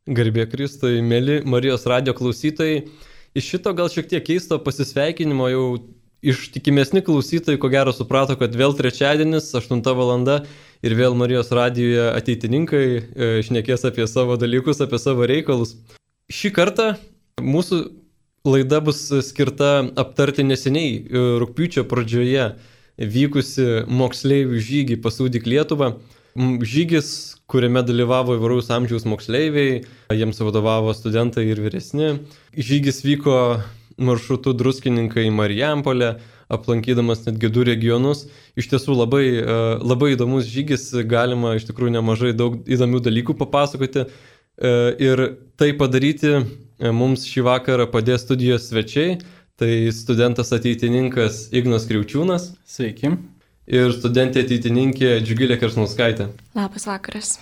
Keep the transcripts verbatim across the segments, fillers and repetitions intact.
Garbė Kristui, mėly Marijos radijo klausytojai. Iš šito gal šiek tiek keisto pasisveikinimo jau ištikimesni klausytojai ko gero suprato, kad vėl trečiadienis, aštunta valanda ir vėl Marijos radijoje ateitininkai e, šnekės apie savo dalykus, apie savo reikalus. Šį kartą mūsų laida bus skirta aptarti neseniai e, rugpjūčio pradžioje vykusi moksleivių žygį Pasūdyk Lietuvą. Žygis, kuriame dalyvavo įvairaus amžiaus moksleiviai, jiems vadovavo studentai ir vyresni. Žygis vyko maršrutu Druskininkai į Marijampolę, aplankydamas netgi du regionus. Iš tiesų labai, labai įdomus žygis, galima iš tikrųjų nemažai daug įdomių dalykų papasakoti. Ir tai padaryti mums šį vakarą padės studijos svečiai. Tai studentas ateitininkas Ignas Kriaučiūnas. Sveiki. Ir studentė ateitininkė Džiugilė Kersnauskaitė. Labas vakaras.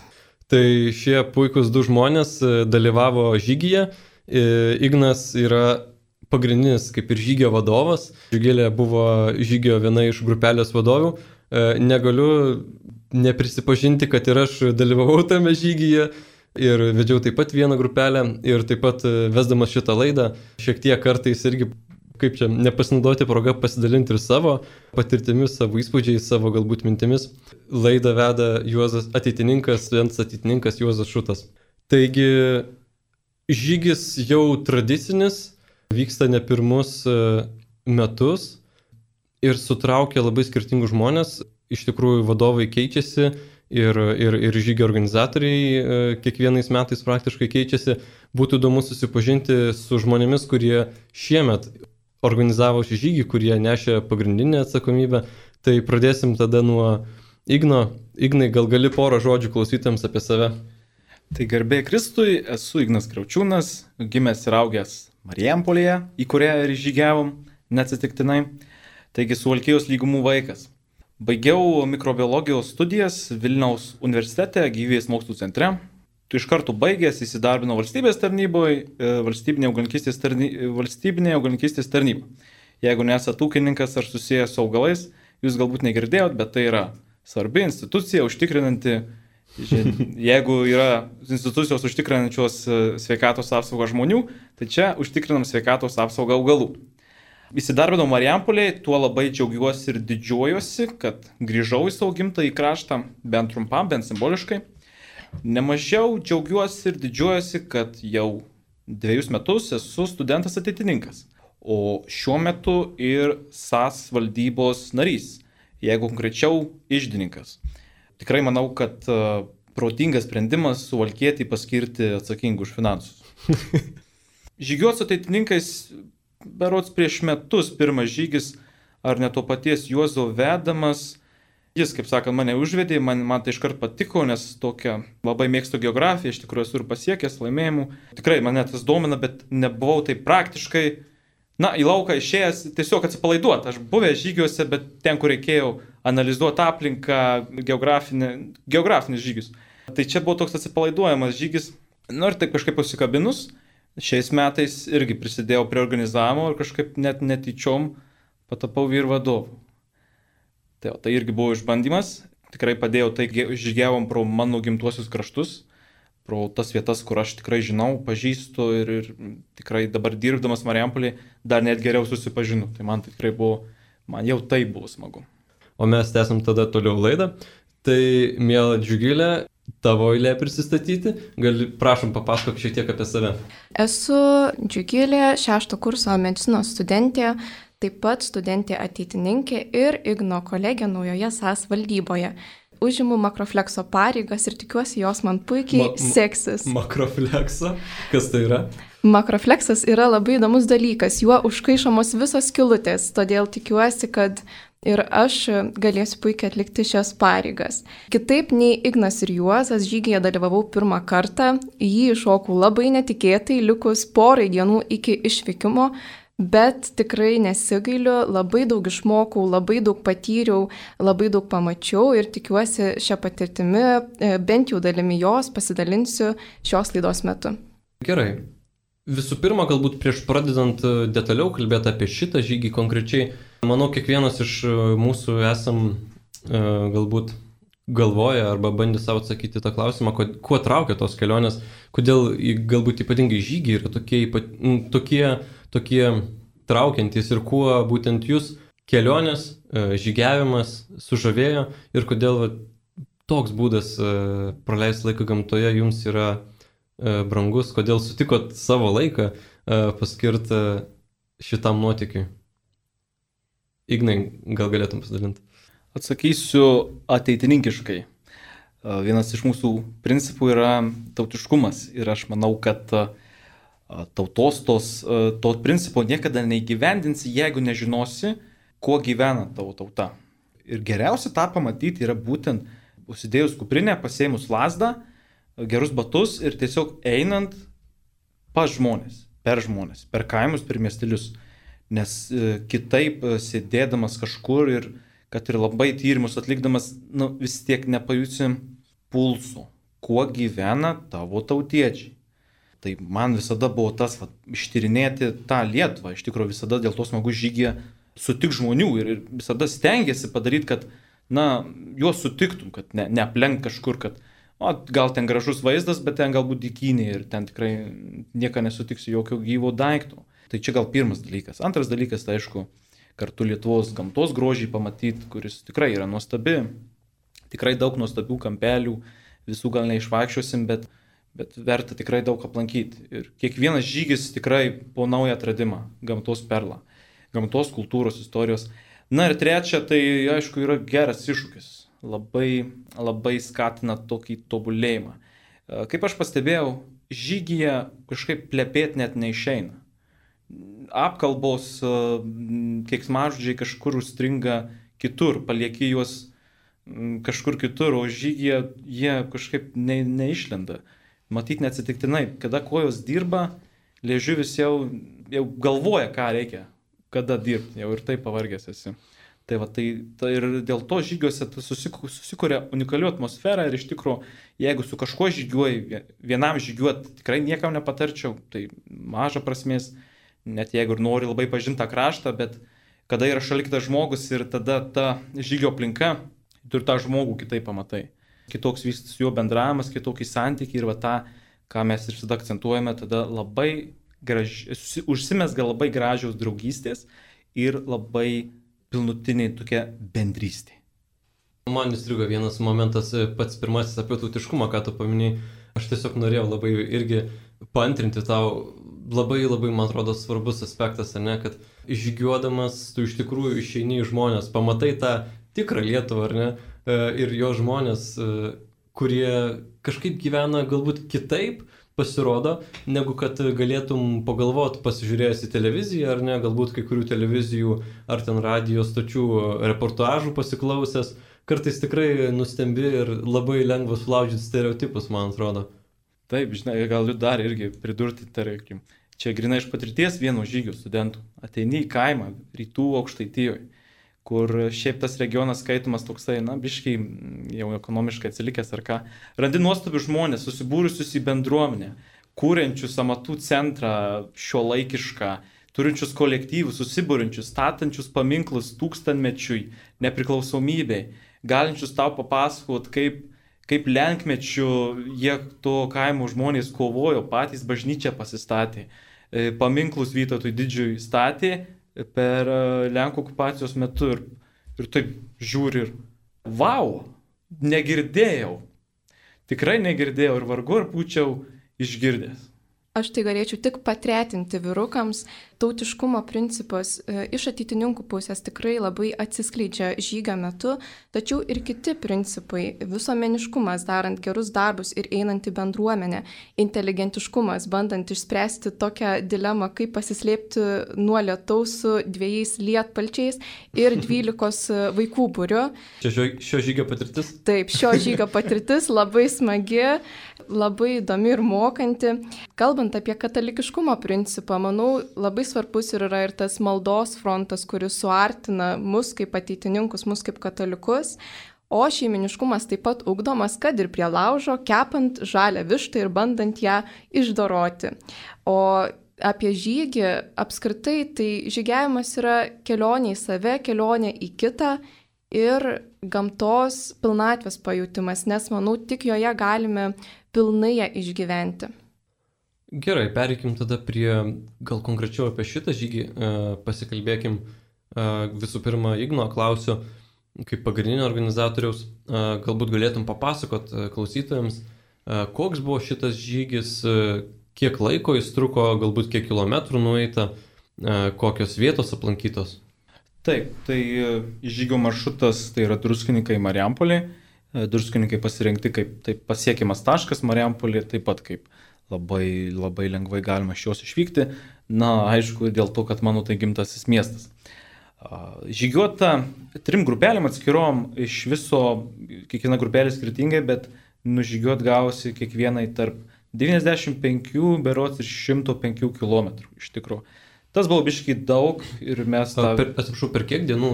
Tai šie puikūs du žmonės dalyvavo žygyje. Ignas yra pagrindinis kaip ir žygio vadovas. Džiugilė buvo žygio viena iš grupelės vadovių. Negaliu neprisipažinti, kad ir aš dalyvavau tame žygyje ir vedžiau taip pat vieną grupelę ir taip pat vesdamas šitą laidą šiek tiek kartais irgi kaip čia, nepasinaudoti progą pasidalinti ir savo patirtimis, savo įspūdžiais, savo galbūt mintimis. Laidą veda Juozas ateitininkas, studentas ateitininkas Juozas Šutas. Taigi, žygis jau tradicinis, vyksta ne pirmus metus ir sutraukia labai skirtingus žmonės. Iš tikrųjų, vadovai keičiasi ir, ir, ir žygio organizatoriai kiekvienais metais praktiškai keičiasi. Būtų įdomu susipažinti su žmonėmis, kurie šiemet organizavo šį žygį, kurie nešė pagrindinę atsakomybę. Tai pradėsim tada nuo Igno. Ignai, gal gali porą žodžių klausytams apie save? Tai garbė Kristui, esu Ignas Kriaučiūnas, gimęs ir augęs Marijampolėje, į kurią ir žygiavom neatsitiktinai. Taigi Suvalkijos lygumų vaikas. Baigiau mikrobiologijos studijas Vilniaus universitete, gyvybės mokslų centre. Tu iš karto baigęs įsidarbino valstybės tarnyboje, valstybinė augalininkystės tarnyba, valstybinė augalininkystės tarnyba. Jeigu nesat ūkininkas ar susijęs su augalais, jūs galbūt negirdėjot, bet tai yra svarbi institucija užtikrinanti, jeigu yra institucijos užtikrinančios sveikatos apsaugą žmonių, tai čia užtikrinam sveikatos apsaugą augalų. Įsidarbinau Marijampolėje, tuo labai džiaugiuosi ir didžiuojuosi, kad grįžau į savo gimtąjį kraštą, bent trumpam, bent simboliškai. Nemažiau džiaugiuosi ir didžiuojuosi, kad jau dviejus metus esu studentas ateitininkas, o šiuo metu ir S A S valdybos narys, jeigu konkrečiau iždininkas. Tikrai manau, kad uh, protingas sprendimas Suvalkietį paskirti atsakingų už finansus. Žygiuot su ateitininkais berods prieš metus pirmas žygis, ar ne to paties Juozo vedamas. Jis, kaip sakant, mane užvedė, man, man tai iškart patiko, nes tokia labai mėgstu geografiją, iš tikrųjų esu ir pasiekęs laimėjimų. Tikrai mane tas domina, bet nebuvau taip praktiškai, na, į lauką išėjęs tiesiog atsipalaiduoti. Aš buvęs žygiuose, bet ten, kur reikėjo analizuoti aplinką, geografinis žygis. Tai čia buvo toks atsipalaiduojamas žygis. Nu ir taip kažkaip pasikabinus, šiais metais irgi prisidėjau prie organizavimo ir kažkaip net netyčiom patapau vyr vadovu. Tai, tai irgi buvo išbandymas, tikrai padėjau, tai žygiavom pro mano gimtuosius kraštus, pro tas vietas, kur aš tikrai žinau, pažįstu ir, ir tikrai dabar dirbdamas Marijampolėje dar net geriau susipažinu. Tai man tikrai buvo, man jau tai buvo smagu. O mes tęsim tada toliau laidą. Tai, miela Džiugilė, tavo eilė prisistatyti. Gali, prašom, papasakok šiek tiek apie save. Esu Džiugilė, šešto kurso medicinos studentė. Taip pat studentė ateitininkė ir Igno kolegė naujoje S A S valdyboje. Užimu makroflekso pareigas ir tikiuosi jos man puikiai ma- seksis. Makroflekso? Kas tai yra? Makrofleksas yra labai įdomus dalykas, juo užkaišomos visos skylutės, todėl tikiuosi, kad ir aš galėsiu puikiai atlikti šias pareigas. Kitaip nei Ignas ir Juozas, žygyje dalyvavau pirmą kartą, jį iššokau labai netikėtai, likus porai dienų iki išvykimo. Bet tikrai nesigailiu, labai daug išmokau, labai daug patyriau, labai daug pamačiau ir tikiuosi šią patirtimį, bent jau dalimi jos, pasidalinsiu šios laidos metu. Gerai. Visų pirma, galbūt prieš pradedant detaliau kalbėti apie šitą žygį konkrečiai, manau, kiekvienas iš mūsų esam galbūt galvoja arba bandė savo atsakyti tą klausimą, kuo, kuo traukia tos kelionės, kodėl galbūt ypatingai žygiai yra tokie, tokie, tokie traukiantys ir kuo būtent jūs kelionės, žygiavimas sužavėjo ir kodėl va, toks būdas praleisti laiką gamtoje jums yra brangus, kodėl sutikot savo laiką paskirti šitam nuotykiui. Ignai, gal galėtum pasidalinti? Atsakysiu ateitininkiškai. Vienas iš mūsų principų yra tautiškumas ir aš manau, kad tautos tos, to principo niekada neįgyvendinsi, jeigu nežinosi, kuo gyvena tavo tauta. Ir geriausia tą pamatyti yra būtent užsidėjus kuprinę, pasėmus lasdą, gerus batus ir tiesiog einant pas žmonės, per žmonės, per kaimus, per miestelius. Nes kitaip sėdėdamas kažkur ir kad ir labai tyrimus atlikdamas, nu, vis tiek nepajusim pulso, kuo gyvena tavo tautiečiai. Tai man visada buvo tas, va, ištyrinėti tą Lietuvą, iš tikrųjų visada dėl to smagu žygyje sutik žmonių ir visada stengiasi padaryti, kad, na, juos sutiktum, kad ne, neaplenk kažkur, kad o, gal ten gražus vaizdas, bet ten galbūt dykynė ir ten tikrai nieko nesutiksi jokio gyvo daikto. Tai čia gal pirmas dalykas. Antras dalykas, tai aišku, kartu Lietuvos gamtos grožį pamatyti, kuris tikrai yra nuostabi. Tikrai daug nuostabių kampelių, visų gal neišvaikščiosim, bet, bet verta tikrai daug aplankyti. Ir kiekvienas žygis tikrai po naują atradimą, gamtos perlą, gamtos kultūros istorijos. Na ir trečia, tai aišku yra geras iššūkis. Labai, labai skatina tokį tobulėjimą. Kaip aš pastebėjau, žygyje kažkaip plepėti net neišeina. Apkalbos, keiksmažodžiai kažkur užstringa kitur, palieki juos kažkur kitur, o žygyje jie kažkaip ne, neišlenda. Matyt neatsitiktinai, kada kojos dirba, liežuvis jau, jau galvoja, ką reikia, kada dirbti, jau ir taip pavargęs esi. Tai, va, tai, tai ir dėl to žygiuose susikuria unikalių atmosferą ir iš tikrųjų, jeigu su kažkuo žygiuoji, vienam žygiuoti tikrai niekam nepatarčiau, tai maža prasmės. Net jeigu ir nori labai pažinti tą kraštą, bet kada yra šalia kitas žmogus ir tada ta žygio aplinka, tu ir tą žmogų kitaip pamatai. Kitoks vyksta su juo bendravimas, kitokį santykį ir va tą, ką mes ir visada akcentuojame, tada labai graž... užsimesga labai gražios draugystės ir labai pilnutiniai tokia bendrystė. Man įstrigo vienas momentas, pats pirmasis apie tautiškumą, ką tu paminėjai. Aš tiesiog norėjau labai irgi paantrinti tau. Labai, labai, man atrodo, svarbus aspektas, ne, kad žygiuodamas tu iš tikrųjų išeini į žmonės, pamatai tą tikrą Lietuvą, ar ne, ir jo žmonės, kurie kažkaip gyvena galbūt kitaip, pasirodo, negu kad galėtum pagalvoti pasižiūrėjęs į televiziją, ar ne, galbūt kai kurių televizijų ar ten radijo stočių reportažų pasiklausęs, kartais tikrai nustembi ir labai lengva sulaužyti stereotipus, man atrodo. Taip, žinai, galiu dar irgi pridurti, tarkim, čia grina iš patirties vieno žygio studentų. Ateini į kaimą, rytų Aukštaitijoje, kur šiaip tas regionas skaitomas toksai, na, biškai jau ekonomiškai atsilikęs ar ką. Randi nuostabių žmonės, susibūrusius į bendruomenę, kūrenčius amatų centrą šiuolaikišką, turinčius kolektyvus, susibūrinčius, statančius paminklus tūkstantmečiui, nepriklausomybei, galinčius tau papasakot, kaip kaip lenkmečių jie to kaimo žmonės kovojo, patys bažnyčią pasistatė, paminklus Vytautui Didžiui statė per Lenkų okupacijos metu ir, ir taip žiūri ir vau, negirdėjau, tikrai negirdėjau ir vargu ar būčiau išgirdęs. Aš tai galėčiau tik patretinti vyrukams. Tautiškumo principas e, iš ateitininkų pusės tikrai labai atsiskleidžia žygio metu, tačiau ir kiti principai, visuomeniškumas, darant gerus darbus ir einant į bendruomenę, inteligentiškumas, bandant išspręsti tokią dilemą, kaip pasislėpti nuo lietaus su dviejais lietpalčiais ir dvylikos vaikų būriu. Čia šio, šio žygio patirtis? Taip, šio žygio patirtis labai smagi, labai įdomi ir mokanti. Kalbant apie katalikiškumo principą, manau, labai svarbus ir yra ir tas maldos frontas, kuris suartina mus kaip ateitininkus, mus kaip katalikus, o šeiminiškumas taip pat ugdomas, kad ir prie laužo, kepant žalią vištą ir bandant ją išdoroti. O apie žygį apskritai, tai žygiavimas yra kelionė į save, kelionė į kitą ir gamtos pilnatvės pajūtimas, nes manau, tik joje galime pilnai ją išgyventi. Gerai, pereikim tada prie, gal konkrečiau apie šitą žygį, pasikalbėkim. Visų pirma, Igno klausiu, kaip pagrindinio organizatoriaus, galbūt galėtum papasakot klausytojams, koks buvo šitas žygis, kiek laiko jis truko, galbūt kiek kilometrų nueita, kokios vietos aplankytos. Taip, tai žygio maršrutas tai yra Druskininkai Marijampolė. Druskininkai pasirinkti kaip taip pasiekiamas taškas, Marijampolė taip pat kaip labai, labai lengvai galima iš jos išvykti. Na, aišku, dėl to, kad mano tai gimtasis miestas. Žygiuota trim grupelėm atskirom, iš viso kiekviena grupelė skirtingai, bet nužygiuot gausi kiekvienai tarp devyniasdešimt penkių berods ir šimto penkių kilometrų iš tikrųjų. Tas buvo biškai daug ir mes tą... Per, atsiprašau, per kiek dienų?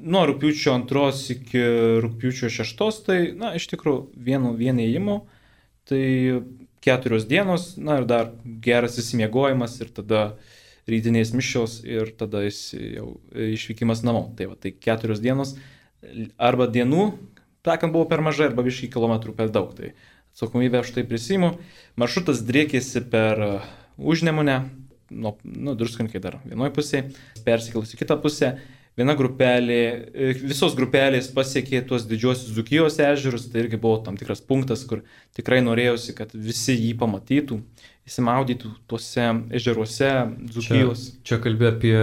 Nuo rugpjūčio antros iki rugpjūčio šeštos, tai, na, iš tikrųjų vienu vienėjimu, tai keturios dienos, na ir dar geras įsimiegojimas ir tada rytinės mišios ir tada jau išvykimas namo. Tai va, tai keturios dienos arba dienų, takant buvo per mažai, arba biškai kilometrų per daug. Tai atsakomybę aš tai prisimu. Maršrutas driekėsi per Užnemunę, nu, nu Druskininkai dar vienoj pusėje, persikėlus į kitą pusę. Viena grupelė, visos grupelės pasiekė tuos didžiosius Dzūkijos ežerus, tai irgi buvo tam tikras punktas, kur tikrai norėjosi, kad visi jį pamatytų, įsimaudytų tuose ežeruose Dzūkijos. Čia, čia kalbė apie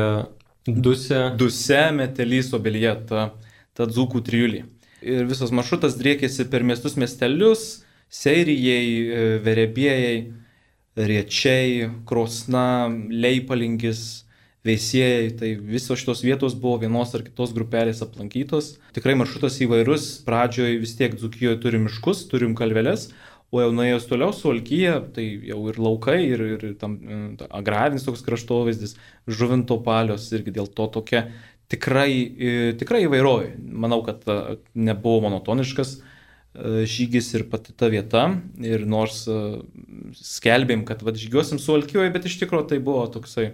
Dusę. Dusę, Metelys, Obelyje, ta, ta Dzūkų trijulė. Ir visas maršrutas driekėsi per miestus miestelius, Seirijai, Verebėjai, Riečiai, Krosna, Leipalingis, Veisiejai, tai visos šitos vietos buvo vienos ar kitos grupelės aplankytos. Tikrai maršrutas įvairus, pradžioje vis tiek Dzūkijoje turim miškus, turim kalveles, o jau nuėjus toliau Suvalkija, tai jau ir laukai, ir, ir tam ta, agrarinis toks kraštovaizdis, Žuvinto palios, irgi dėl to tokia tikrai, tikrai įvairovė. Manau, kad nebuvo monotoniškas žygis ir pati ta vieta, ir nors skelbėm, kad vat, žygiuosim Suvalkijoje, bet iš tikrųjų tai buvo toksai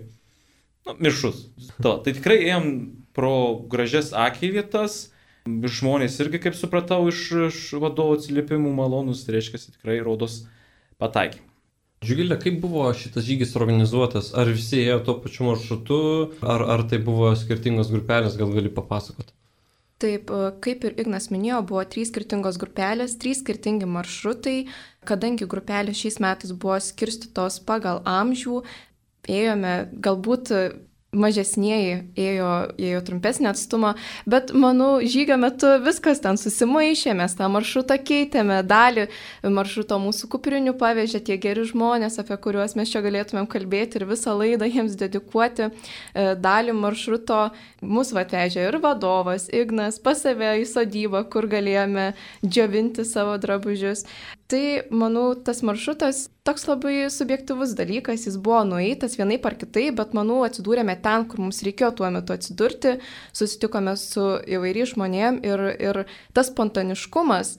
nu, mišrus. To, tai tikrai ėjom pro gražias akiai vietas, žmonės irgi, kaip supratau, iš, iš vadovų atsiliepimų malonus, tai reiškia, tikrai rodos pataikė. Žiūgilė, kaip buvo šitas žygis organizuotas? Ar visi ėjo tuo pačiu maršrutu, ar, ar tai buvo skirtingos grupelės, gal gali papasakoti? Taip, kaip ir Ignas minėjo, buvo trys skirtingos grupelės, trys skirtingi maršrutai, kadangi grupelės šiais metais buvo skirstytos pagal amžių, ėjome galbūt mažesnieji ėjo, ėjo trumpesnį atstumą, bet manau, žygio metu viskas ten susimaišė, mes tą maršrutą keitėme, dalį maršruto mūsų kuprinių pavežė tie geri žmonės, apie kuriuos mes čia galėtumėm kalbėti ir visą laidą jiems dedikuoti. Dalį maršruto mūsų atvežė ir vadovas, Ignas, pas save į sodybą, kur galėjome džiovinti savo drabužius. Tai, manau, tas maršrutas toks labai subjektyvus dalykas, jis buvo nueitas vienaip ar kitaip, bet, manau, atsidūrėme ten, kur mums reikėjo tuo metu atsidurti, susitikome su įvairiais žmonėm ir, ir tas spontaniškumas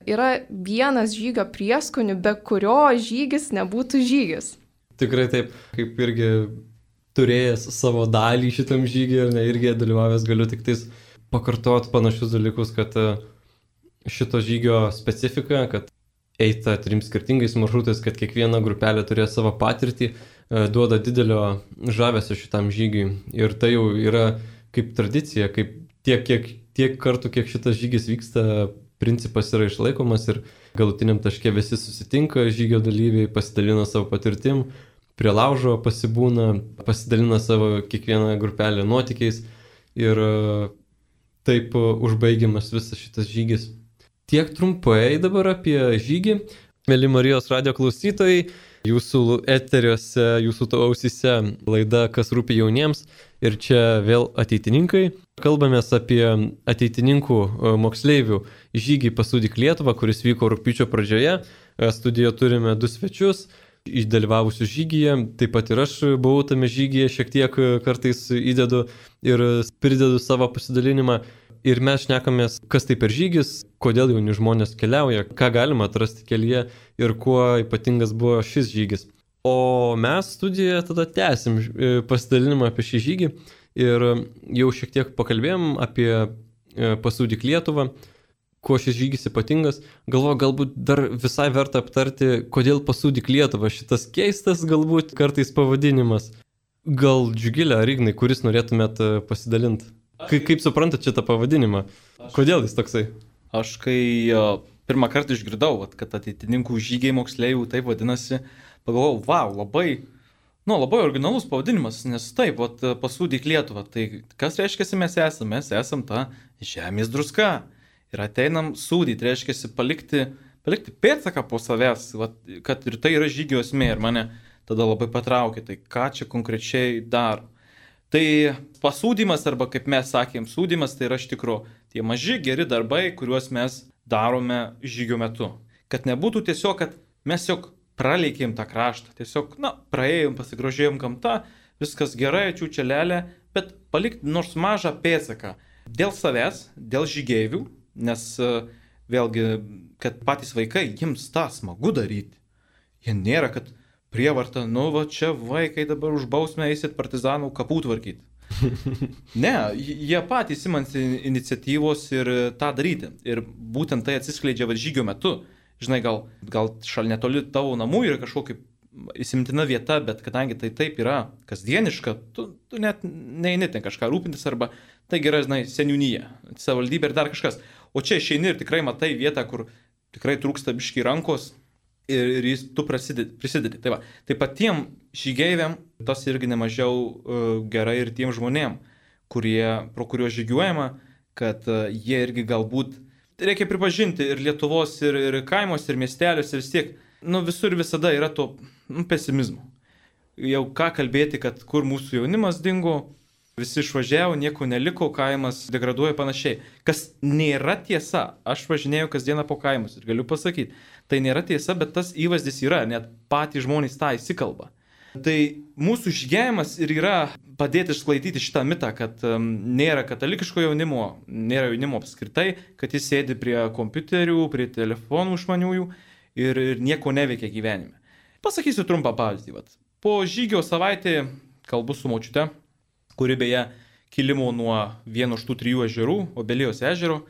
yra vienas žygio prieskonių, be kurio žygis nebūtų žygis. Tikrai taip, kaip irgi turėjęs savo dalį šitam žygį ir ne, irgi dalyvavęs galiu tik tais pakartoti panašius dalykus, kad šito žygio specifika, kad eita trim skirtingais maršrutais, kad kiekviena grupelė turėjo savo patirtį, duoda didelio žavesio šitam žygiui. Ir tai jau yra kaip tradicija, kaip tiek, kiek, tiek kartų, kiek šitas žygis vyksta, principas yra išlaikomas ir galutiniam taške visi susitinka, žygio dalyviai pasidalina savo patirtim, prie laužo pasibūna, pasidalina savo kiekvieną grupelę nuotykiais ir taip užbaigiamas visas šitas žygis. Tiek trumpai dabar apie žygį. Mėly Marijos radijo klausytojai, jūsų eteriuose, jūsų ausyse laida Kas rūpi jauniems ir čia vėl ateitininkai. Kalbamės apie ateitininkų moksleivių žygį Pasūdyk Lietuvą, kuris vyko rugpjūčio pradžioje. Studijoje turime du svečius dalyvavusių žygyje, taip pat ir aš buvau tame žygyje, šiek tiek kartais įdedu ir pridedu savo pasidalinimą. Ir mes šnekamės, kas tai per žygis, kodėl jauni žmonės keliauja, ką galima atrasti kelyje ir kuo ypatingas buvo šis žygis. O mes studijoje tada tęsim pasidalinimą apie šį žygį ir jau šiek tiek pakalbėjom apie Pasūdyk Lietuvą. Kuo šis žygis ypatingas? Galvoju, galbūt dar visai verta aptarti, kodėl Pasūdyk Lietuvą. Šitas keistas galbūt kartais pavadinimas. Gal Džiugilė ar Ignai, kuris norėtumėt pasidalinti? Ka- kaip suprantat šitą pavadinimą? Kodėl jis toksai? Aš kai uh, pirmą kartą išgirdau, vat, kad ateitininkų žygiai moksleivių taip vadinasi, pagalvojau, wow, labai, nu, labai originalus pavadinimas, nes taip, vat, Pasūdyk Lietuvą. Tai kas reiškia mes esame? Mes esam ta žemės druska. Ir ateinam sūdyti, reiškia palikti, palikti pėdsaką po savęs, vat, kad ir tai yra žygio esmė ir mane tada labai patraukė. Tai ką čia konkrečiai daro? Tai pasūdymas, arba kaip mes sakėm, sūdymas, tai yra iš tikro tie maži geri darbai, kuriuos mes darome žygio metu. Kad nebūtų tiesiog, kad mes tiesiog praleikėm tą kraštą, tiesiog, na, praėjom, pasigrožėjom gamtą, viskas gerai, čiūčelelė, bet palikti nors mažą pėdsaką dėl savęs, dėl žygeivių, nes vėlgi, kad patys vaikai, jiems tą smagu daryti. Jie nėra, kad prievarta, nu va čia vaikai dabar už bausmę eisit partizanų kapų tvarkyti. Ne, jie patys imasi iniciatyvos ir tą daryti. Ir būtent tai atsiskleidžia va žygio metu. Žinai, gal, gal šal netoli tavo namų yra kažkokia įsimtina vieta, bet kadangi tai taip yra kasdieniška, tu, tu net neini ten kažką rūpintis arba tai yra, žinai, seniūnyje, savivaldybė ir dar kažkas. O čia išeini ir tikrai matai vietą, kur tikrai trūksta biški rankos. Ir, ir jis tu prisidedi. prisidedi. Tai, va, tai patiem žygeiviam tas irgi nemažiau uh, gerai ir tiem žmonėm, kurie, pro kuriuos žygiuojama, kad uh, jie irgi galbūt, reikia pripažinti, ir Lietuvos, ir, ir kaimuos, ir miesteliuose vis tiek, nu visur visada yra to nu, pesimizmo. Jau ką kalbėti, kad kur mūsų jaunimas dingo, visi išvažiavo, nieko neliko, kaimas degraduoja panašiai. Kas nėra tiesa, aš važinėjau kasdieną po kaimus ir galiu pasakyti, tai nėra tiesa, bet tas įvaizdis yra, net patys žmonės tą įsikalba. Tai mūsų žygėjimas ir yra padėti išsklaidyti šitą mitą, kad um, nėra katalikiško jaunimo, nėra jaunimo apskritai, kad jis sėdi prie kompiuterių, prie telefonų išmaniųjų ir, ir nieko neveikia gyvenime. Pasakysiu trumpą pavyzdį. Vat. Po žygio savaitę kalbu su močiute, kuri beje kilimo nuo vieno iš tų trijų ežerų, Obelijos ežero.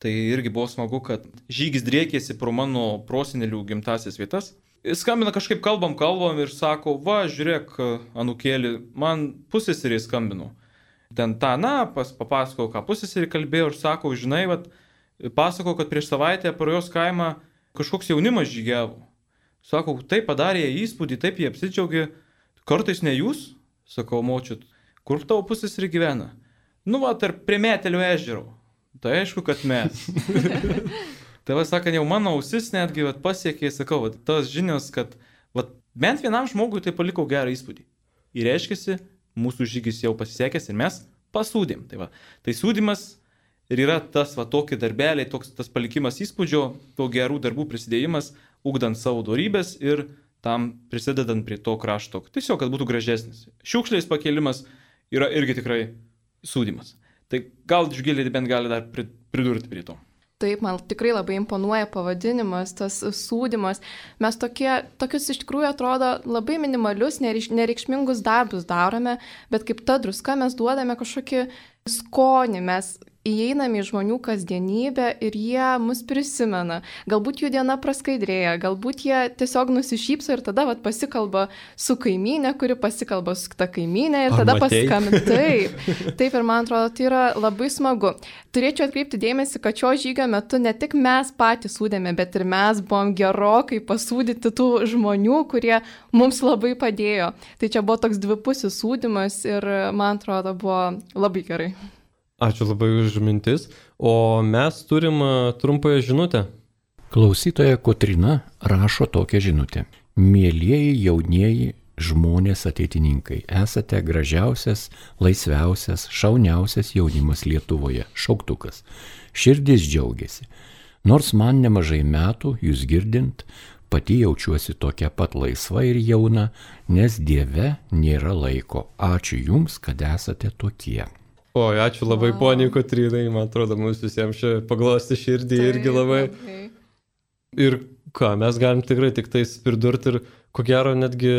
Tai irgi buvo smagu, kad žygis driekėsi pro mano prosenelių gimtasias vietas. Skambina kažkaip kalbam, kalbam ir sako, va, žiūrėk, anūkėlį, man pusseserė skambino. Ten tą, na, pas, papasakau, ką pusseserė kalbėjo ir sako, žinai, vat, pasako, kad prieš savaitę pro jos kaimą kažkoks jaunimas žygiavo. Sako, taip padarė įspūdį, taip jie apsidžiaugė. Kartais ne jūs, sakau, močiut, kur tavo pusseserė gyvena? Nu, va, tarp prie Metelio ežero. Tai aišku, kad mes. Tai va, sakant, jau mano ausis netgi vat, pasiekė, sakau, vat, tos žinios, kad vat, bent vienam žmogui tai paliko gerą įspūdį. Ir reiškiasi, mūsų žygis jau pasisekęs ir mes pasūdėm. Tai, va, tai sūdymas ir yra tas va, tokie darbeliai, toks, tas palikimas įspūdžio, to gerų darbų prisidėjimas, ugdant savo dorybės ir tam prisidedant prie to krašto. Tiesiog, kad būtų gražesnis. Šiukšlės pakėlimas yra irgi tikrai sūdymas. Tai gal Džiugilė bent gali dar pridurti prie to. Taip, man tikrai labai imponuoja pavadinimas, tas sūdymas. Mes tokie, tokius iš tikrųjų atrodo labai minimalius, nereikšmingus darbus darome, bet kaip ta druska mes duodame kažkokį skonį, mes įeiname į žmonių kasdienybę ir jie mus prisimena. Galbūt jų diena praskaidrėja, galbūt jie tiesiog nusišypso ir tada vat, pasikalba su kaimynė, kuri pasikalba su kita kaimynė ir tada paskambina. Taip, taip ir man atrodo, tai yra labai smagu. Turėčiau atkreipti dėmesį, kad šio žygio metu ne tik mes patys sūdėme, bet ir mes buvom gerokai pasūdyti tų žmonių, kurie mums labai padėjo. Tai čia buvo toks dvipusis sūdymas ir man atrodo buvo labai gerai. Ačiū labai už mintis. O mes turim trumpąją žinutę. Klausytoja Kotryna rašo tokią žinutę. Mielieji jaunieji žmonės ateitininkai, esate gražiausias, laisviausias, šauniausias jaunimas Lietuvoje. Šauktukas. Širdis džiaugiasi. Nors man nemažai metų, jūs girdint, pati jaučiuosi tokia pat laisva ir jauna, nes Dieve nėra laiko. Ačiū jums, kad esate tokie. O, ačiū labai wow. Poniai Kotrynai, man atrodo, mums visiems čia paglosti širdį tai, irgi labai. labai. Ir ką, mes galim tikrai tik tais pridurti ir ko gero netgi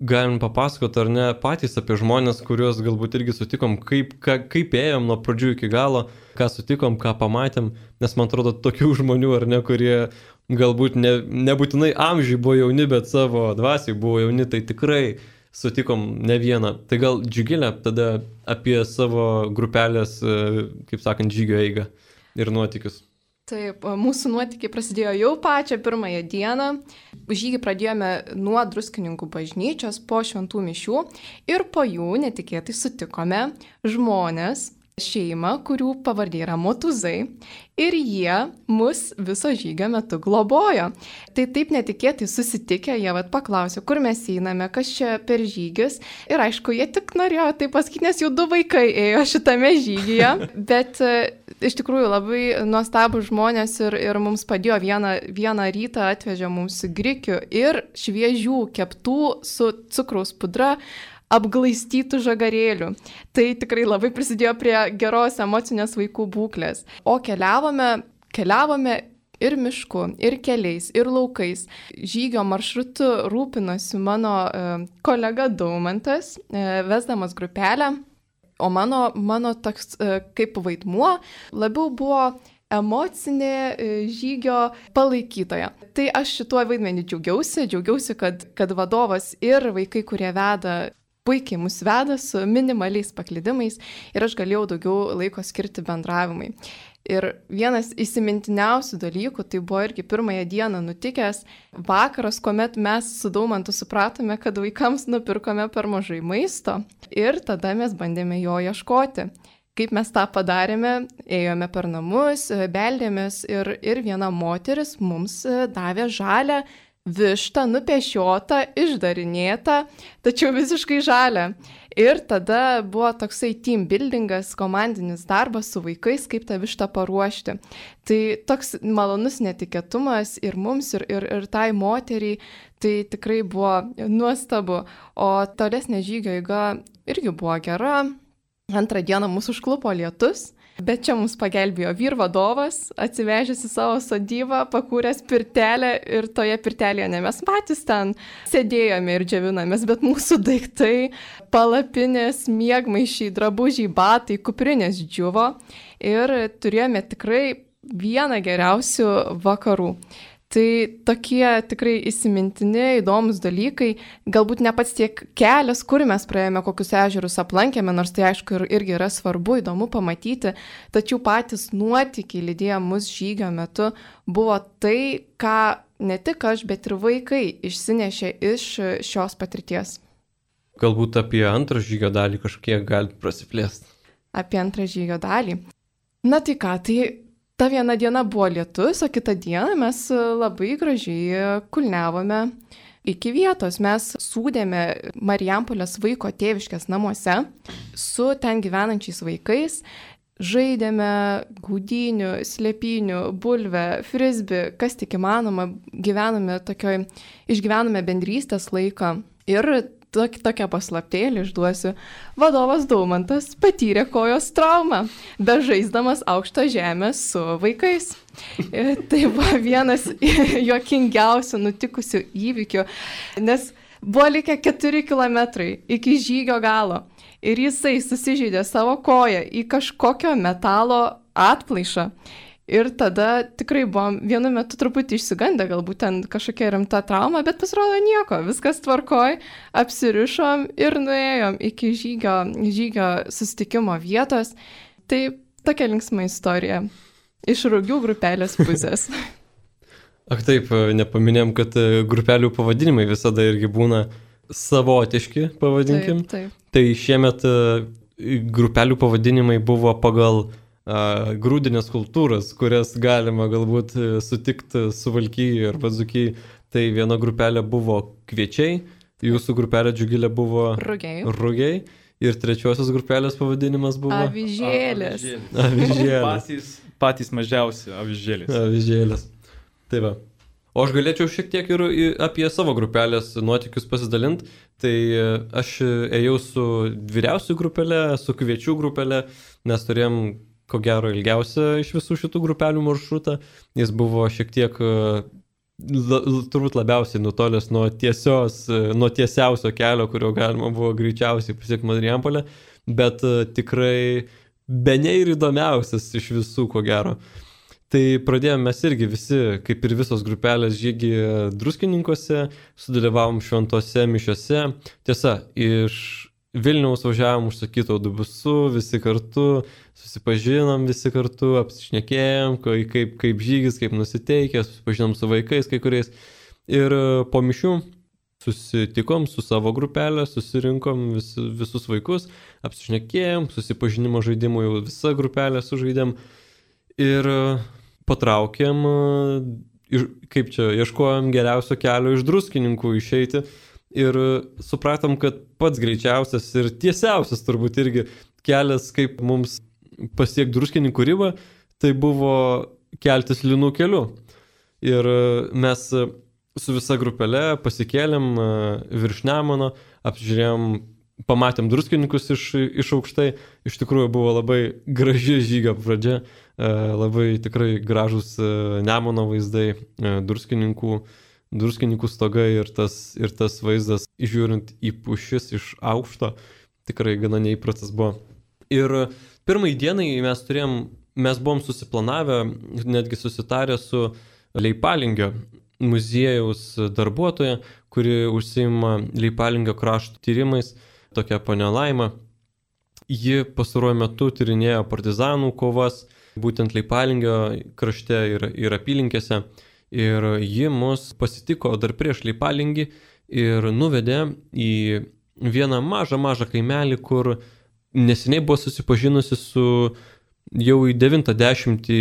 galim papasakoti ar ne patys apie žmonės, kuriuos galbūt irgi sutikom, kaip, ka, kaip ėjom nuo pradžių iki galo, ką sutikom, ką pamatėm, nes man atrodo tokių žmonių ar ne, kurie galbūt ne, nebūtinai amžiai buvo jauni, bet savo dvasiai buvo jauni, tai tikrai sutikom ne vieną. Tai gal Džiugilė tada apie savo grupelės, kaip sakant, žygio eigą ir nuotykius. Taip, mūsų nuotykiai prasidėjo jau pačią pirmąją dieną. Žygį pradėjome nuo Druskininkų bažnyčios po šventų mišių ir po jų netikėtai sutikome žmonės, šeimą, kurių pavardė yra Motuzai, ir jie mus viso žygio metu globojo. Tai taip netikėtai susitikę, jie vat paklausė, kur mes einame, kas čia per žygis. Ir aišku, jie tik norėjo tai pasakyti, nes jau du vaikai ėjo šitame žygyje. Bet iš tikrųjų labai nuostabų žmonės ir, ir mums padėjo vieną, vieną rytą atvežė mums grikių ir šviežių keptų su cukraus pudra apglaistytų žagarėlių. Tai tikrai labai prisidėjo prie geros emocinės vaikų būklės. O keliavome, keliavome ir mišku, ir keliais, ir laukais. Žygio maršrutu rūpinosi mano e, kolega Daumantas, e, vesdamas grupelę, o mano, mano toks e, kaip vaidmuo labiau buvo emocinė žygio palaikytoja. Tai aš šituo vaidmenį džiaugiausi, džiaugiausi, kad, kad vadovas ir vaikai, kurie veda, puikiai mus veda su minimaliais paklydimais ir aš galėjau daugiau laiko skirti bendravimui. Ir vienas įsimintiniausių dalykų, tai buvo irgi pirmąją dieną nutikęs vakaras, kuomet mes su Daumantu supratome, kad vaikams nupirkome per mažai maisto ir tada mes bandėme jo ieškoti. Kaip mes tą padarėme, ėjome per namus, beldėmės ir, ir viena moteris mums davė žalią vištą, nupešiotą, išdarinėtą, tačiau visiškai žalią. Ir tada buvo toksai team buildingas, komandinis darbas su vaikais, kaip tą vištą paruošti. Tai toks malonus netikėtumas ir mums, ir, ir, ir tai moteriai, tai tikrai buvo nuostabu. O tolesnė žygio eiga irgi buvo gera. Antrą dieną mūsų užklupo lietus, bet čia mums pagelbėjo vyrvadovas, atsivežęs į savo sodybą, pakūręs pirtelę ir toje pirtelėje ne mes patys ten sėdėjome ir džiavinamės, bet mūsų daiktai, palapinės, miegmaišiai, drabužiai, batai, kuprinės džiuvo ir turėjome tikrai vieną geriausių vakarų. Tai tokie tikrai įsimintini, įdomus dalykai, galbūt ne pats tiek kelias, kur mes praėjome, kokius ežerus aplankėme, nors tai aišku ir, irgi yra svarbu, įdomu pamatyti, tačiau patys nuotykiai lydėję mus žygio metu buvo tai, ką ne tik aš, bet ir vaikai išsinešė iš šios patirties. Galbūt apie antrą žygio dalį kažkiek gali prasiplėsti. Apie antrą žygio dalį. Na tai ką, tai... Ta viena diena buvo lietus, o kitą dieną mes labai gražiai kulniavome iki vietos. Mes sūdėme Marijampolės vaiko tėviškės namuose su ten gyvenančiais vaikais, žaidėme gaudynių, slėpynių, bulvę, frisbį, kas tik įmanoma, gyvenome tokioj, išgyvenome bendrystės laiką ir tokią paslaptėlį išduosiu. Vadovas Daumantas patyrė kojos traumą, bežaisdamas aukštą žemę su vaikais. Tai buvo vienas juokingiausių nutikusių įvykių, nes buvo likę keturi kilometrai iki žygio galo ir jisai susižeidė savo koją į kažkokio metalo atplaišą. Ir tada tikrai buvom vienu metu truputį išsigandę, galbūt ten kažkokia rimta trauma, bet pasirodo nieko, viskas tvarkoj, apsirišom ir nuėjom iki žygio, žygio susitikimo vietos. Tai tokia linksma istorija iš Rugių grupelės pusės. Ak taip, nepaminėjom, kad grupelių pavadinimai visada irgi būna savotiški, pavadinkim. Taip, taip. Tai šiemet grupelių pavadinimai buvo pagal grūdinės kultūras, kurias galima galbūt sutikti Suvalkyje ar Dzūkijoje. Tai viena grupelė buvo kviečiai, jūsų grupelė Džiugilė buvo rugiai. rugiai ir trečiosios grupelės pavadinimas buvo avižėlės. Avižėlės. Patys, patys mažiausi avižėlės. Avižėlės. Tai va. O aš galėčiau šiek tiek ir apie savo grupelės nuotykius pasidalinti. Tai aš ėjau su vyriausių grupelė, su kviečių grupelė, nes turėjom ko gero ilgiausia iš visų šitų grupelių maršrutą. Jis buvo šiek tiek la, turbūt labiausiai nutolęs nuo, tiesios, nuo tiesiausio kelio, kurio galima buvo greičiausiai pasiekti Marijampolę, bet tikrai be ne ir įdomiausias iš visų, ko gero. Tai pradėjome mes irgi visi, kaip ir visos grupelės, žygį Druskininkuose, sudalyvavom šventose mišiose. Tiesa, iš Vilniaus važiavom užsakytų autobusu, visi kartu, susipažinom visi kartu, apsišnekėjom, kaip, kaip žygis, kaip nusiteikę, susipažinom su vaikais kai kuriais. Ir po mišių susitikom su savo grupelė, susirinkom vis, visus vaikus, apsišnekėjom, susipažinimo žaidimų jau visą grupelę sužaidėm. Ir patraukėm, kaip čia, ieškojom geriausio kelio iš Druskininkų išeiti ir supratom, kad pats greičiausias ir tiesiausias turbūt irgi kelias, kaip mums pasiekti Druskininkų ribą, tai buvo keltis Linų keliu. Ir mes su visa grupelė pasikėlėm virš Nemuno, apžiūrėjom, pamatėm Druskininkus iš, iš aukštai. Iš tikrųjų buvo labai graži žygio pradžia, labai tikrai gražus Nemuno vaizdai, Druskininkų, Druskininkų stogai ir tas, ir tas vaizdas, žiūrint į pušis iš aukšto, tikrai gana neįprastas buvo. Ir pirmai dienai mes turėjom, mes buvom susiplanavę, netgi susitarę su Leipalingio muziejaus darbuotoja, kuri užsiima Leipalingio krašto tyrimais, tokia ponia Laima. Ji pastaruoju metu tyrinėjo partizanų kovas, būtent Leipalingio krašte ir, ir apylinkėse. Ir ji mus pasitiko dar prieš Leipalingį ir nuvedė į vieną mažą, mažą kaimelį, kur neseniai buvo susipažinusi su jau į devintą dešimtį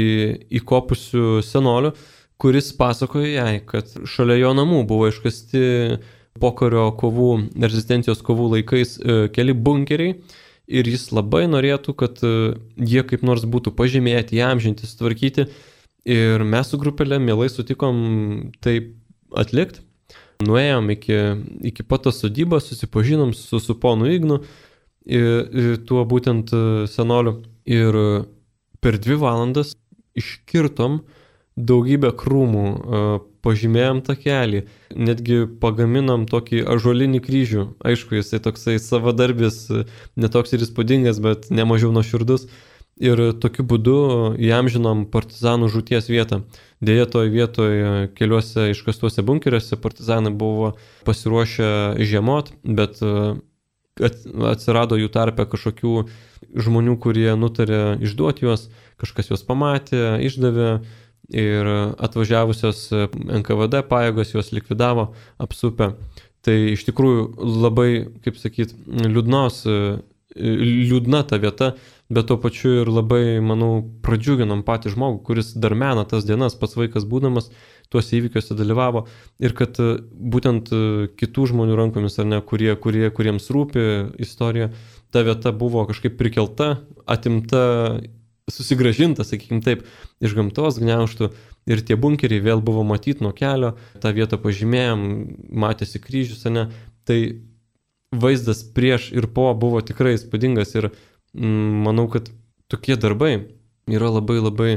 įkopusiu senoliu, kuris pasakojo jai, kad šalia jo namų buvo iškasti pokario kovų, rezistencijos kovų laikais keli bunkeriai ir jis labai norėtų, kad jie kaip nors būtų pažymėti, įamžinti, sutvarkyti ir mes su grupelė mielai sutikom tai atlikti. Nuėjom iki, iki pat tos sodybos, susipažinom su, su ponu Ignu, ir, ir tuo būtent senoliu ir per dvi valandas iškirtom daugybę krūmų, pažymėjom takelį, netgi pagaminom tokį ąžuolinį kryžių. Aišku, jisai toksai savadarbis, netoks ir įspūdingas, bet nemažiau nuoširdus. Ir tokiu būdu įamžinom partizanų žūties vietą. Deja, toje vietoje keliuose iškastuose bunkeriuose partizanai buvo pasiruošę žiemot, bet atsirado jų tarpe kažkokių žmonių, kurie nutarė išduoti juos, kažkas juos pamatė, išdavė. Ir atvažiavusios N K V D pajėgos juos likvidavo, apsupę. Tai iš tikrųjų labai, kaip sakyt, liūdnos, liūdna ta vieta, bet tuo pačiu ir labai, manau, pradžiuginom patį žmogų, kuris dar mena tas dienas, pats vaikas būdamas, tuose įvykiuose dalyvavo. Ir kad būtent kitų žmonių rankomis, ar ne, kurie, kurie, kuriems rūpi istorija, ta vieta buvo kažkaip prikelta, atimta, susigražinta, sakykim taip, iš gamtos gniaužtų ir tie bunkeriai vėl buvo matyti nuo kelio, tą vietą pažymėjom, matėsi kryžius, ne, tai vaizdas prieš ir po buvo tikrai įspūdingas ir mm, manau, kad tokie darbai yra labai labai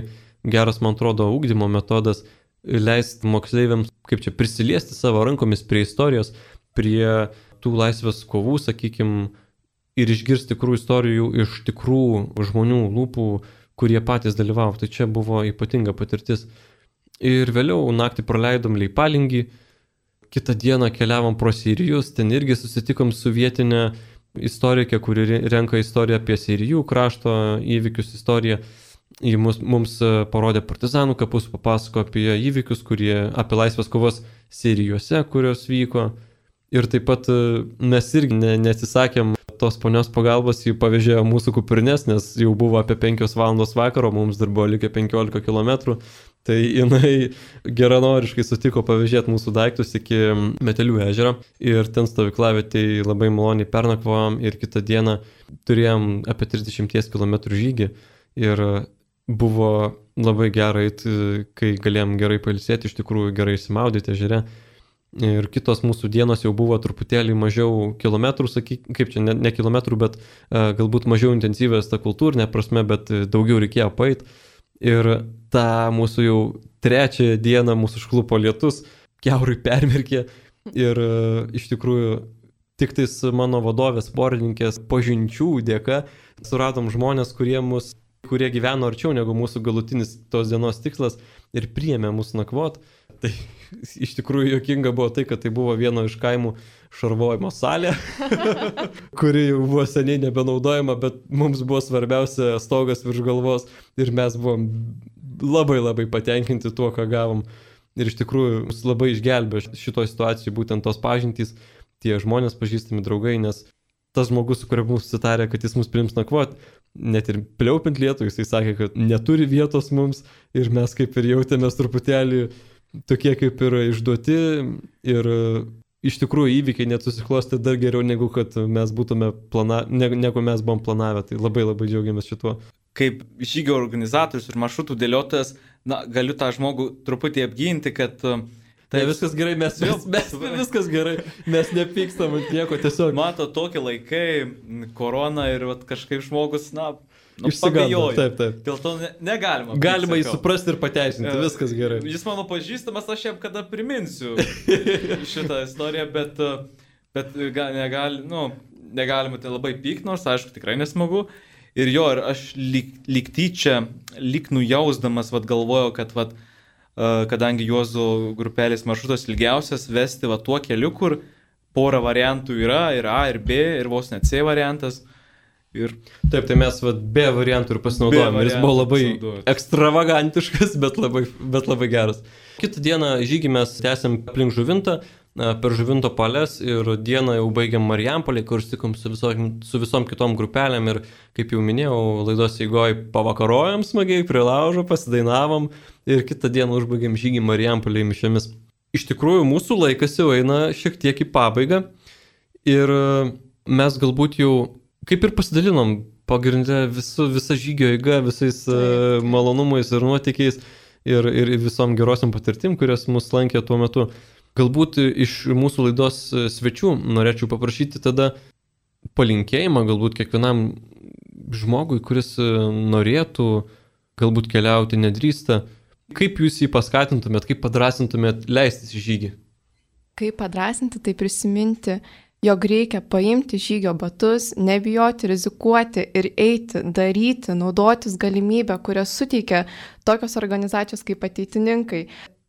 geras, man atrodo, ugdymo metodas, leisti moksleiviams, kaip čia, prisiliesti savo rankomis prie istorijos, prie tų laisvės kovų, sakykim, ir išgirsti tikrų istorijų iš tikrų žmonių lūpų, kurie patys dalyvavo. Tai čia buvo ypatinga patirtis. Ir vėliau naktį praleidom Leipalingį, kitą dieną keliavom pro Seirijus, ten irgi susitikom su vietinė istorikė, kuri renka istoriją apie Seirijų krašto įvykius istoriją. Ji mums, mums parodė partizanų kapus, papasako apie įvykius, kurie, apie laisvės kovos Seirijose, kurios vyko. Ir taip pat mes irgi ne, neatsisakėm tos ponios pagalbos, jį pavežėjo mūsų kuprinės, nes jau buvo apie penkios valandos vakaro, mums dar buvo likę penkiolika kilometrų, tai jinai geranoriškai sutiko pavežėti mūsų daiktus iki Metelių ežero ir ten stovyklavietėj labai maloniai pernakvavom ir kitą dieną turėjom apie trisdešimt kilometrų žygį ir buvo labai gerai, kai galėjom gerai pailsėti, iš tikrųjų gerai išsimaudyti ežere. Ir kitos mūsų dienos jau buvo truputėlį mažiau kilometrų, sakyk, kaip čia, ne, ne kilometrų, bet uh, galbūt mažiau intensyvės ta kultūrinė prasme, bet daugiau reikėjo paeit. Ir tą mūsų jau trečią dieną mūsų užklupo lietus, kiaurai permirkė ir iš tikrųjų tik tais mano vadovės porininkės pažinčių dėka suradom žmonės, kurie, mus, kurie gyveno arčiau negu mūsų galutinis tos dienos tikslas ir priėmė mus nakvot. Tai iš tikrųjų juokinga buvo tai, kad tai buvo vieno iš kaimų šarvojimo salė, kuri jau buvo seniai nebenaudojama, bet mums buvo svarbiausia stogas virš galvos ir mes buvom labai labai patenkinti tuo, ką gavom. Ir iš tikrųjų mus labai išgelbėjo šitoje situacijoje būtent tos pažintys, tie žmonės pažįstami draugai, nes tas žmogus, su kuriuo mums susitarė, kad jis mus priims nakvot, net ir pliaupiant lietų, jisai sakė, kad neturi vietos mums ir mes kaip ir jautėmės truputėlį tokie kaip ir išduoti ir iš tikrųjų įvykiai net susiklosti dar geriau, negu kad mes būtume plana, negu mes buvom planavę. Tai labai labai džiaugiamės šituo. Kaip žygio organizatorius ir maršrutų dėliotojas, na, galiu tą žmogų truputį apginti, kad tai ne, viskas gerai, mes, mes, mes viskas gerai, mes nepykstam ant nieko, tiesiog. Mato, tokie laikai, korona ir vat, kažkaip žmogus, na, nu, išsigando. Taip, taip. Dėl to ne, negalima. Galima jį suprasti ir pateisinti, viskas gerai. Jis mano pažįstamas, aš jam kada priminsiu šitą istoriją, bet, bet negali, nu, negalima tai labai pykt, nors aišku tikrai nesmagu. Ir jo, ir aš lyg, lyg tyčia, lyg nujausdamas, vat, galvojau, kad vat, kadangi Juozo grupelės maršrutas ilgiausias, vesti va tuo keliu, kur pora variantų yra, ir A, ir B, ir vos net C variantas. Ir... Taip, tai mes va, B variantų ir pasinaudojom. Ir jis buvo labai ekstravagantiškas, bet labai, bet labai geras. Kitą dieną žygį mes tęsėm aplink Žuvintą, per Žuvinto palės ir dieną jau baigiam Marijampolėj, kur stikom su visom, su visom kitom grupelėm ir, kaip jau minėjau, laidos eigoj pavakarojom smagiai, prie laužo, pasidainavom ir kitą dieną užbaigėm žygį Marijampolėj mišiomis. Iš tikrųjų, mūsų laikas jau eina šiek tiek į pabaigą ir mes galbūt jau kaip ir pasidalinom pagrindę visu, visa žygio eiga, visais uh, malonumais ir nuotykiais ir, ir visom gerosiam patirtim, kurios mus lankė tuo metu. Galbūt iš mūsų laidos svečių norėčiau paprašyti tada palinkėjimą galbūt kiekvienam žmogui, kuris norėtų galbūt keliauti, nedrįsta. Kaip jūs jį paskatintumėt, kaip padrasintumėt leistis į žygį? Kaip padrasinti, tai prisiminti, jog reikia paimti žygio batus, nebijoti, rizikuoti ir eiti, daryti, naudotis galimybę, kurią suteikia tokios organizacijos kaip ateitininkai.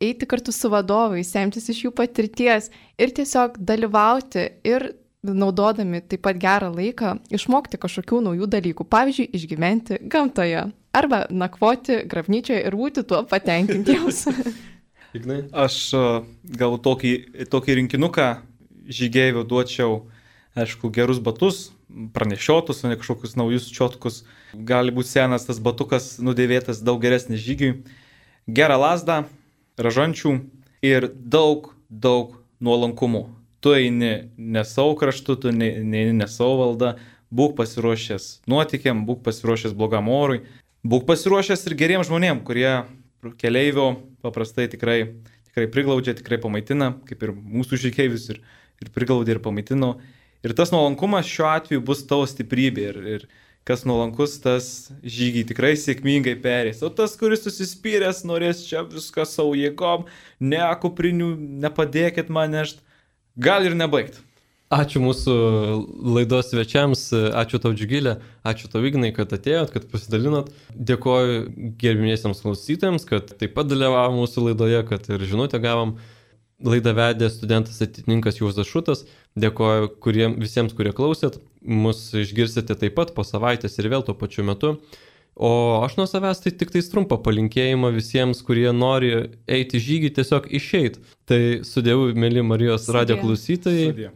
Eiti kartu su vadovais, semtis iš jų patirties ir tiesiog dalyvauti ir naudodami taip pat gerą laiką išmokti kažkokių naujų dalykų. Pavyzdžiui, išgyventi gamtoje arba nakvoti grabnyčioje ir būti tuo patenkintiems. Aš gal tokį, tokį rinkinuką žygeivių duočiau, aišku, gerus batus, pranešiotus, o ne kažkokius naujus čiotkus. Gali būti senas tas batukas nudėvėtas, daug geresnis žygiui. Gerą lazdą, ražančių ir daug, daug nuolankumo. Tu eini ne savo kraštu, tu neini ne savo valdą, būk pasiruošęs nuotykiam, būk pasiruošęs blogam orui, būk pasiruošęs ir geriems žmonėm, kurie keleivio paprastai tikrai, tikrai priglaudžia, tikrai pamaitina, kaip ir mūsų žygeivius ir, ir priglaudė ir pamaitino. Ir tas nuolankumas šiuo atveju bus tavo stiprybė ir, ir kas nuolankus, tas žygį tikrai sėkmingai perės. O tas, kuris susispyręs, norės čia viską savo jėgom, ne kuprinių, nepadėkit man nešt, gal ir nebaigt. Ačiū mūsų laidos svečiams, ačiū tau Džiugilė, ačiū tau Ignai, kad atėjot, kad pasidalinot. Dėkoju gerbimiesiems klausytojams, kad taip pat dalyvavo mūsų laidoje, kad ir žinutę gavom. Laidą vedė studentas ateitininkas Juozas Šutas. Dėkoju kuriem, visiems, kurie klausėt. Mus išgirsite taip pat po savaitės ir vėl tuo pačiu metu. O aš nuo savęs tai tik tais trumpą palinkėjimą visiems, kurie nori eiti žygį, tiesiog išeit. Tai su Dievu, mėly Marijos radijo klausytojai. Sudie.